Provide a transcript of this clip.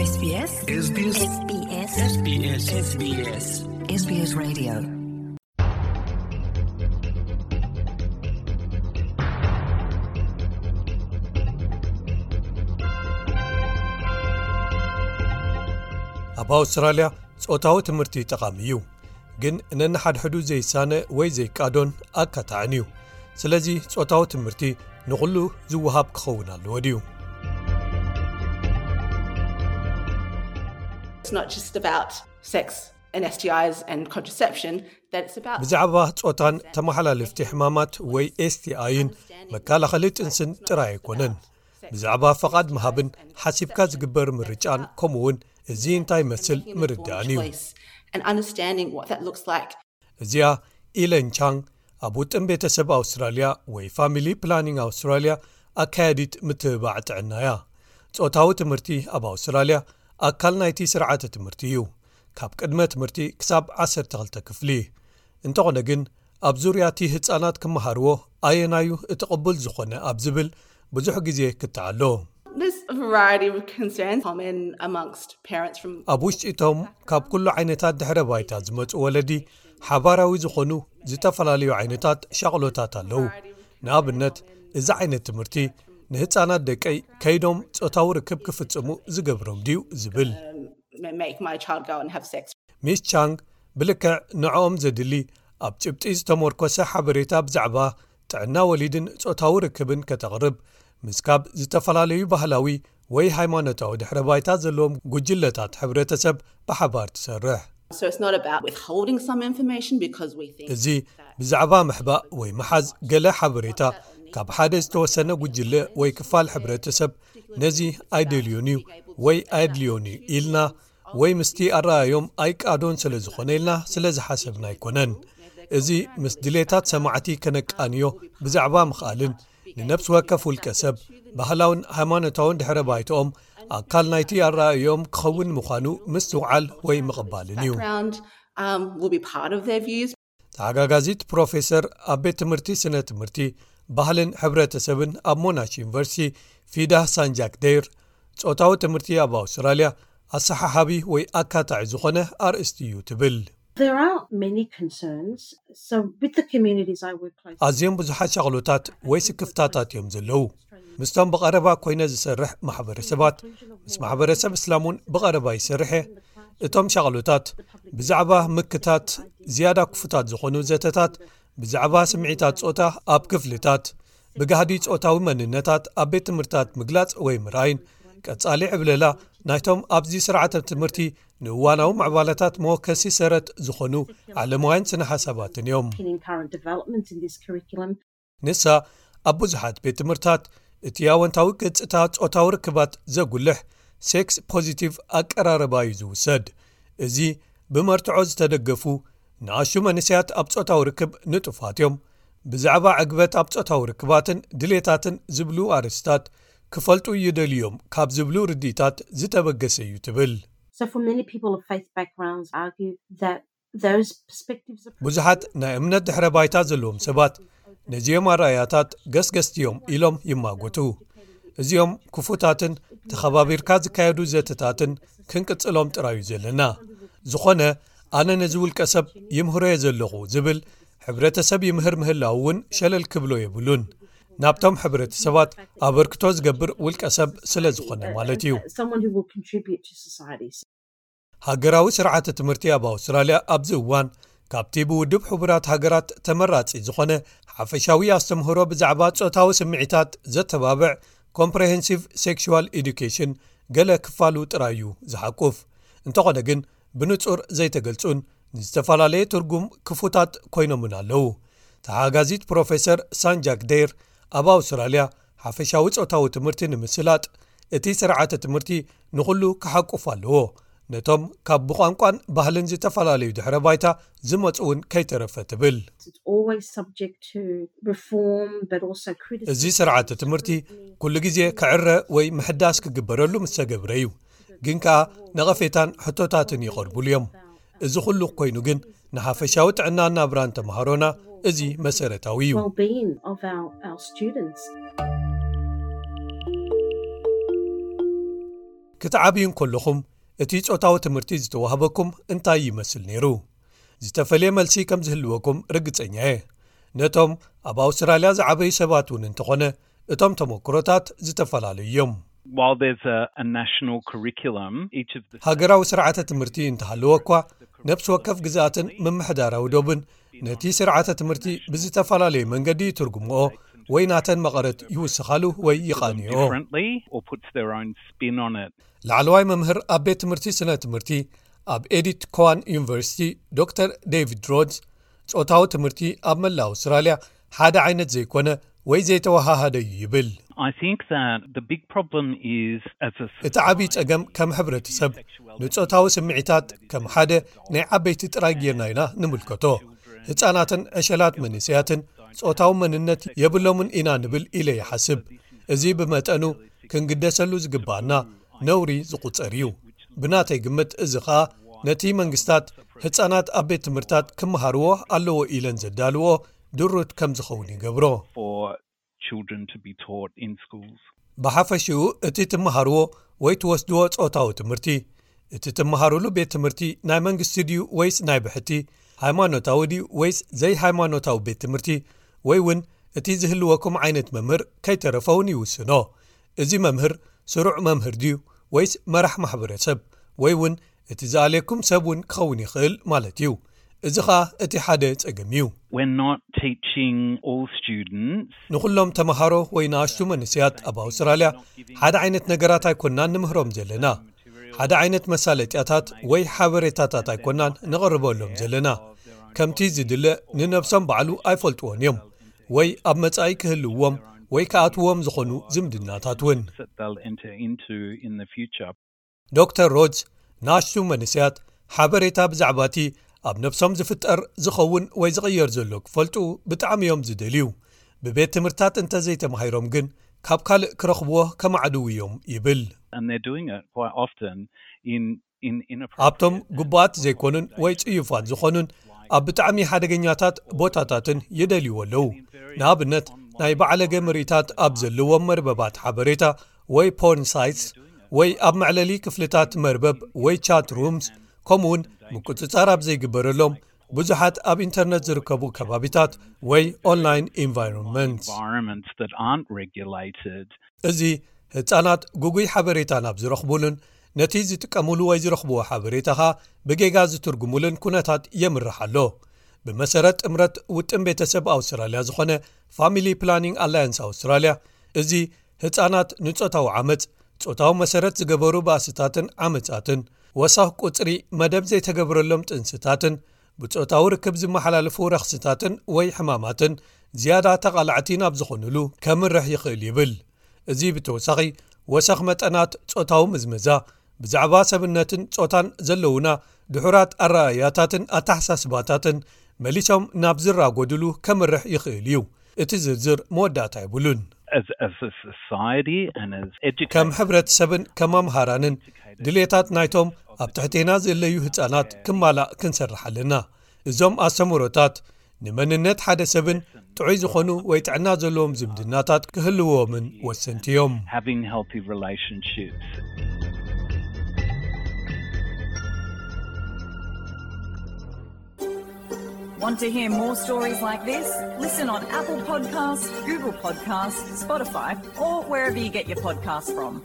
SBS SBS SBS SBS SBS Radio. ኣብ ኣውስትራልያ ጾታዊ ትምህርቲ ጠቓሚ እዩ፣ ግን ነንሓድሕዱ ዘይሳነ ወይ ዘይቃዶን ኣካታዕን እዩ። ስለዚ ጾታዊ ትምህርቲ ንኹሉ ዝወሃብ ክኸውን ኣለዎ ድዩ? It's not just about sex and S T Is and contraception, that it's about ብዛዕባ ጾታን ተመሓላለፍቲ ሕማማት ወይ ኤስቲኣይን መከላኸሊ ጥንስን ጥራይ ኣይኮነን። ብዛዕባ ፈቓድ ምሃብን ሓሲብካ ዝግበር ምርጫን ከምኡውን እዚ እንታይ ይመስል ምርዳእን እዩ። Choice and understanding what that looks like. እዚኣ ኢለን ቻንግ ኣብ ውጥን ቤተሰብ ኣውስትራልያ ወይ ፋሚሊ ፕላኒንግ ኣውስትራልያ ኣካያዲት ምትብባዕ ጥዕና እያ። ጾታዊ ትምህርቲ ኣብ ኣውስትራልያ ኣካል ናይቲ ስርዓተ ትምህርቲ እዩ፣ ካብ ቅድመ ትምህርቲ ክሳብ ዓሰርተ ክልተ ክፍሊ። እንተኾነ ግን ኣብ ዙርያ እቲ ህጻናት ክመሃርዎ ኣየናዩ እቲ ቅቡል ዝኾነ ኣብ ዝብል ብዙሕ ግዜ ክትዓሎ። There's a variety of concerns common amongst parents from ኣብ ውሽጢ እቶም ካብ ኩሉ ዓይነታት ድሕረ ባይታ ዝመጹ ወለዲ ሓባራዊ ዝኾኑ ዝተፈላለዩ ዓይነታት ሻቕሎታት ኣለዉ። ንኣብነት እዚ ዓይነት ትምህርቲ ንህጻናት ደቀይ ከይዶም ጾታዊ ርክብ ክፍጽሙ ዝገብሮም ድዩ ዝብል። Make my child go and have sex. ሚስ ቻንግ ብልክዕ ንዕኦም ዘድሊ ኣብ ጭብጢ ዝተመርኮሰ ሓበሬታ ብዛዕባ ጥዕና ወሊድን ጾታዊ ርክብን ከተቕርብ ምስ ካብ ዝተፈላለዩ ባህላዊ ወይ ሃይማኖታዊ ድሕረ ባይታ ዘለዎም ጉጅለታት ሕብረተሰብ ብሓባር ትሰርሕ። So it's not about withholding some information because we think እዚ ብዛዕባ ምሕባእ ወይ ምሓዝ ገለ ሓበሬታ ካብ ሓደ ዝተወሰነ ጉጅለ ወይ ክፋል ሕብረተሰብ ነዚ ኣይደልዮን እዩ ወይ ኣየድልዮን እዩ ኢልና ወይ ምስቲ ኣረኣዮም ኣይቃዶን ስለ ዝኾነ ኢልና ስለ ዝሓሰብና ኣይኮነን። እዚ ምስ ድሌታት ሰማዕቲ ከነቃንዮ ብዛዕባ ምኽኣልን ንነፍሲ ወከፍ ውልቀ ሰብ ባህላውን ሃይማኖታውን ድሕረ ባይትኦም ኣካል ናይቲ ኣረኣዮም ክኸውን ምዃኑ ምስትውዓል ወይ ምቕባልን እዩ። Background um, will be part of their views. ተሓጋጋዚት ፕሮፌሰር ኣብ ቤት ትምህርቲ ስነ ትምህርቲ ባህልን ሕብረተሰብን ኣብ ሞናሽ ዩኒቨርሲቲ ፊዳ ሳንጃክ ደይር ጾታዊ ትምህርቲ ኣብ ኣውስትራልያ ኣሰሓሓቢ ወይ ኣካታዒ ዝኾነ ኣርእስቲ እዩ ትብል። There are many concerns. So, with the communities I work closely ኣዝዮም ብዙሓት ሻቕሎታት ወይ ስክፍታታት እዮም ዘለዉ። ምስቶም ብቐረባ ኮይነ ዝሰርሕ ማሕበረሰባት፣ ምስ ማሕበረሰብ እስላም እውን ብቐረባ ይሰርሕ እየ። እቶም ሻቕሎታት ብዛዕባ ምክታት ዝያዳ ክፉታት ዝኾኑ ዘተታት ብዛዕባ ስምዒታት ጾታ ኣብ ክፍልታት፣ ብጋህዲ ጾታዊ መንነታት ኣብ ቤት ትምህርታት ምግላጽ ወይ ምርኣይን ቀጻሊ ዕብለላ ናይቶም ኣብዚ ስርዓተ ትምህርቲ ንእዋናዊ ምዕባለታት መወከሲ ሰረት ዝኾኑ ዓለማውያን ስነ ሓሳባትን እዮም። in current developments in this curriculum. ንሳ ኣብ ብዙሓት ቤት ትምህርታት እቲ ኣወንታዊ ገጽታ ጾታዊ ርክባት ዘጉልሕ ሴክስ ፖዚቲቭ ኣቀራረባ እዩ ዝውሰድ። እዚ ብመርትዖ ዝተደገፉ ንኣሹ መንእሰያት ኣብ ጾታዊ ርክብ ንጡፋት እዮም። ብዛዕባ ዕግበት ኣብ ጾታዊ ርክባትን ድሌታትን ዝብሉ ኣርእስታት ክፈልጡ ይደልዮም ካብ ዝብሉ ርድኢታት ዝተበገሰ እዩ ትብል። So, for many people of faith backgrounds, argue that those perspectives are ብዙሓት ናይ እምነት ድሕረ ባይታ ዘለዎም ሰባት ነዚኦም ኣረኣያታት ገስገስቲ እዮም ኢሎም ይማጎቱ። እዚኦም ክፉታትን ተኸባቢርካ ዝካየዱ ዘተታትን ክንቅጽሎም ጥራዩ ዘለና። ዝኾነ ኣነ ነዚ ውልቀ ሰብ ይምህሮ እየ ዘለኹ ዝብል ሕብረተሰብ ይምህር ምህላው እውን ሸለል ክብሎ የብሉን። ናብቶም ሕብረተሰባት ኣበርክቶ ዝገብር ውልቀ ሰብ ስለ ዝኾነ ማለት እዩ። Someone who will contribute to society. ሃገራዊ ስርዓተ ትምህርቲ ኣብ ኣውስትራልያ ኣብዚ እዋን ካብቲ ብውድብ ሕቡራት ሃገራት ተመራጺ ዝኾነ ሓፈሻዊ ኣስተምህሮ ብዛዕባ ጾታዊ ስምዒታት ዘተባብዕ ኮምፕሬሄንሲቭ ሴክሹዋል ኤዱኬሽን ገለ ክፋሉ ጥራይ እዩ ዝሓቁፍ። እንተኾነ ግን ብንጹር ዘይተገልጹን ንዝተፈላለየ ትርጉም ክፉታት ኮይኖምን ኣለዉ። ተሓጋዚት ፕሮፌሰር ሳንጃክ ደይር ኣብ ኣውስትራልያ ሓፈሻዊ ጾታዊ ትምህርቲ ንምስላጥ እቲ ስርዓተ ትምህርቲ ንኹሉ ክሓቁፍ ኣለዎ፣ ነቶም ካብ ብቋንቋን ባህልን ዝተፈላለዩ ድሕረ ባይታ ዝመጹ እውን ከይተረፈ ትብል። It's always subject to reform, but also criticism. እዚ ስርዓተ ትምህርቲ ኩሉ ግዜ ክዕረ ወይ ምሕዳስ ክግበረሉ ምስ ተገብረ እዩ። ግን ከኣ ነቐፌታን ሕቶታትን ይቐርቡሉ እዮም። እዚ ኩሉ ኮይኑ ግን ንሓፈሻዊ ጥዕና ናብራን ተምሃሮና እዚ መሰረታዊ እዩ። Well-being of our, our students. ክትዓብዩ እንከለኹም እቲ ጾታዊ ትምህርቲ ዝተዋህበኩም እንታይ ይመስል ነይሩ? ዝተፈልየ መልሲ ከም ዝህልወኩም ርግጸኛ እየ። ነቶም ኣብ ኣውስትራልያ ዝዓበዩ ሰባት እውን እንተኾነ እቶም ተመክሮታት ዝተፈላለዩ እዮም። While there's a, a national curriculum, each of the ሃገራዊ ስርዓተ ትምህርቲ እንተሃለወ እኳ ነብሲ ወከፍ ግዝኣትን ምምሕዳራዊ ዶብን ነቲ ስርዓተ ትምህርቲ ብዝተፈላለየ መንገዲ ይትርጉምኦ ወይ ናተን መቐረት ይውስኻሉ ወይ ይቓንዮ። Differently or puts their own spin on it. ላዕለዋይ መምህር ኣብ ቤት ትምህርቲ ስነ ትምህርቲ ኣብ ኤዲት ኮዋን ዩኒቨርሲቲ ዶክተር ዴቪድ ሮድስ ጾታዊ ትምህርቲ ኣብ መላእ ኣውስትራልያ ሓደ ዓይነት ዘይኮነ ወይ ዘይተወሃሃደ እዩ ይብል። I think that the big problem is as a እቲ ዓብዪ ጸገም ከም ሕብረተሰብ ንጾታዊ ስምዒታት ከም ሓደ ናይ ዓበይቲ ጥራይ ጌርና ኢና ንምልከቶ። ህጻናትን ዕሸላት መንእሰያትን ጾታዊ መንነት የብሎምን ኢና ንብል ኢለ ይሓስብ። እዚ ብመጠኑ ክንግደሰሉ ዝግባኣና ነውሪ ዝቑጸር እዩ። ብናተይ ግምት እዚ ኸኣ ነቲ መንግስታት ህጻናት ኣብ ቤት ትምህርታት ክመሃርዎ ኣለዎ ኢለን ዘዳልዎ ድሩት ከም ዝኸውን ይገብሮ። For children to be taught in schools. ብሓፈሽኡ እቲ ትመሃርዎ ወይ ትወስድዎ ጾታዊ ትምህርቲ እቲ ትመሃሩሉ ቤት ትምህርቲ ናይ መንግስቲ ድዩ ወይስ ናይ ብሕቲ፣ ሃይማኖታዊ ድዩ ወይስ ዘይሃይማኖታዊ ቤት ትምህርቲ፣ ወይ እውን እቲ ዝህልወኩም ዓይነት መምህር ከይተረፈ እውን ይውስኖ። እዚ መምህር ስሩዕ መምህር ድዩ ወይስ መራሕ ማሕበረሰብ ወይ እውን እቲ ዝኣልየኩም ሰብ እውን ክኸውን ይኽእል ማለት እዩ። እዚ ኸኣ እቲ ሓደ ጸገም እዩ። We're not teaching all students. ንኹሎም ተምሃሮ ወይ ንኣሽቱ መንእሰያት ኣብ ኣውስትራልያ ሓደ ዓይነት ነገራት ኣይኮናን ንምህሮም ዘለና። ሓደ ዓይነት መሳለጥያታት ወይ ሓበሬታታት ኣይኮናን ንቕርበሎም ዘለና። ከምቲ ዝድለ ንነብሶም ባዕሉ ኣይፈልጥዎን እዮም ወይ ኣብ መጻኢ ክህልዎም ወይ ክኣትዎም ዝኾኑ ዝምድናታት እውን። That they'll enter into in the future. ዶክተር ሮድስ ንኣሽቱ መንእሰያት ሓበሬታ ብዛዕባ እቲ ኣብ ነብሶም ዝፍጠር ዝኸውን ወይ ዝቕየር ዘሎ ክፈልጡ ብጣዕሚ እዮም ዝደልዩ። ብቤት ትምህርትታት እንተዘይተማሂሮም ግን ካብ ካልእ ክረኽብዎ ከማዕድው እዮም ይብል። And they're doing it quite often in in in a ኣብቶም ግቡኣት ዘይኮኑን ወይ ጽዩፋት ዝኾኑን ኣብ ብጣዕሚ ሓደገኛታት ቦታታትን ይደልይዎ ኣለዉ። ንኣብነት ናይ ባዕለገ ምርኢታት ኣብ ዘለዎም መርበባት ሓበሬታ ወይ ፖርን ሳይትስ ወይ ኣብ መዕለሊ ክፍልታት መርበብ ወይ ቻት ሩምስ ከምኡውን ምቁጽጻር ኣብ ዘይግበረሎም ብዙሓት ኣብ ኢንተርነት ዝርከቡ ከባቢታት ወይ ኦንላይን ኢንቫይሮንመንት። Environments that aren't regulated. እዚ ህጻናት ግጉይ ሓበሬታ ናብ ዝረኽቡሉን ነቲ ዝጥቀሙሉ ወይ ዝረኽብዎ ሓበሬታ ኸኣ ብጌጋ ዝትርጉሙሉን ኩነታት የምርሕ ኣሎ። ብመሰረት ጥምረት ውጥን ቤተሰብ ኣውስትራልያ ዝኾነ ፋሚሊ ፕላኒንግ ኣላያንስ ኣውስትራልያ፣ እዚ ህጻናት ንጾታዊ ዓመጽ፣ ጾታዊ መሰረት ዝገበሩ ባእስታትን ዓመጻትን፣ ወሰኽ ቁጽሪ መደብ ዘይተገብረሎም ጥንስታትን፣ ብጾታዊ ርክብ ዝመሓላለፉ ረኽስታትን ወይ ሕማማትን ዝያዳ ተቓላዕቲ ናብ ዝኾኑሉ ከምርሕ ይኽእል ይብል። እዚ ብተወሳኺ ወሰኽ መጠናት ጾታዊ ምዝመዛ፣ ብዛዕባ ሰብነትን ጾታን ዘለውና ድሑራት ኣረኣእያታትን ኣተሓሳስባታትን መሊሶም ናብ ዝራጎድሉ ከምርሕ ይኽእል እዩ። እቲ ዝርዝር መወዳእታ የብሉን። As as a society and as educators. ከም ሕብረተሰብን ከም ኣምሃራንን ድሌታት ናይቶም ኣብ ትሕቴና ዘለዩ ህጻናት ክማላእ ክንሰርሕ ኣለና። እዞም ኣስተምህሮታት ንመንነት ሓደ ሰብን ጥዑይ ዝኾኑ ወይ ጥዕና ዘለዎም ዝምድናታት ክህልዎምን ወሰንቲ እዮም። Having healthy relationships. Want to hear more stories like this? Listen on Apple Podcasts, Google Podcasts, Spotify, or wherever you get your podcasts from.